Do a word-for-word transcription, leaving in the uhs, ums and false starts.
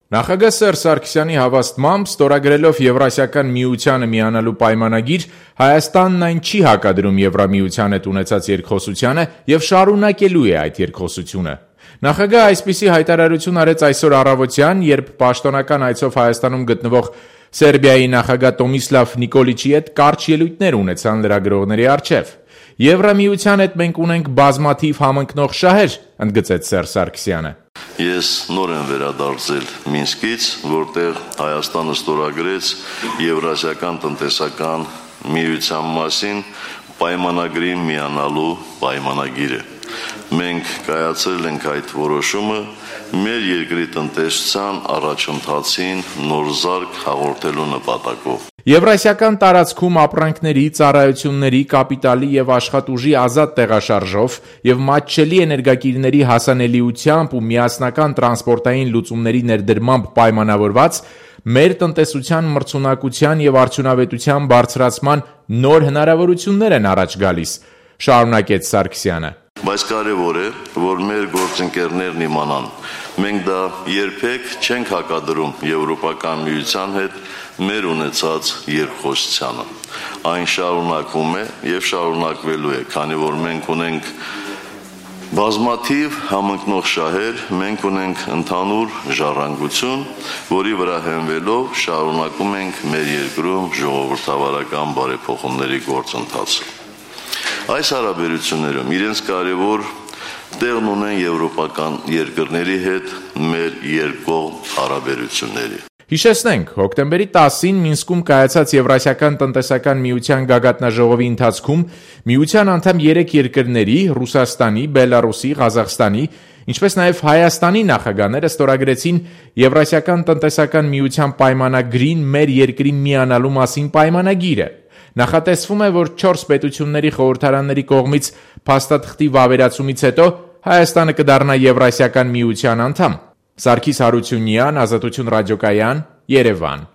Նախագահ Սերժ Սարգսյանի հավաստմամբ, ստորագրելով Եվրասիական միությանը միանալու պայմանագիր, Հայաստանն այն չի հակադրում Եվրամիության հետ ունեցած երկխոսությանը և շարունակելու է այդ երկխոսությունը։ Նախագահը այսպիսի հայտարարություն արեց այսօր առավոտյան, երբ պաշտոնական այցով Հայաստանում գտնվող Սերբիայի նախագահ Տոմիսլավ Նիկոլիչի հետ կարճ ելույթներ ունեցան լրագրողների առջև։ Եվրամիության հետ մենք ունենք բազմաթիվ համընկնող շահեր, ընդգծեց Սերժ Սարգսյանը։ Ես նոր եմ վերադարձել Մինսկից, որտեղ Հայաստանը ստորագրեց Եվրասիական տնտեսական միության մասին պայմանագրի միանալու պայմանագիրը։ Մենք կայացրել ենք այդ որոշումը մեր երկրի տնտեսության առաջընթացին նոր զարկ հաղորդելու նպատակով։ Եվրասիական տարածքում ապրանքների, ծառայությունների, կապիտալի և աշխատուժի ազատ տեղաշարժով և մատչելի էներգակիրների հասանելիությամբ ու միասնական տրանսպորտային լուծումների ներդրմամբ պայմանավորված մեր տնտեսության մրցունակության և արդյունավետության բարձրացման նոր հնարավորություններ են առաջ գալիս, շարունակեց Սարգսյանը։ Բայց կարևոր է, որ մեր գործընկերներն իմանան, մենք դա երբեք չենք հակադրում Եվրոպական միության հետ մեր ունեցած երկխոսությանը։ Այն շարունակվում է և շարունակվելու է, քանի որ մենք ունենք բազմաթիվ համընկնող շահեր, մենք ունենք ընդհանուր ժառանգություն, որի վրա հենվելով շարունակում ենք մեր երկրում ժողովրդավարական բարեփոխումների գործընթացը։ Այս հարաբերություններում իրենց կարևոր տեղն ունեն եվրոպական երկրների հետ մեր երկկողմ հարաբերությունների։ Հիշեցնենք, հոկտեմբերի տասին Մինսկում կայացած Եվրասիական տնտեսական միության գագաթնաժողովի ընթացքում միության անդամ երեք երկրների՝ Ռուսաստանի, Բելառուսի, Ղազախստանի, ինչպես նաև Հայաստանի նախագահները ստորագրեցին Եվրասիական տնտեսական միության պայմանագրին մեր երկրի միանալու մասին պայմանագիրը։ Նախատեսվում է, որ չորս պետությունների խորհրդարանների կողմից փաստաթղթի վավերացումից հետո Հայաստանը կդառնա Եվրասիական միության անդամ։ Սարգիս Հարությունյան, Ազատություն ռադիոկայան, Երևան։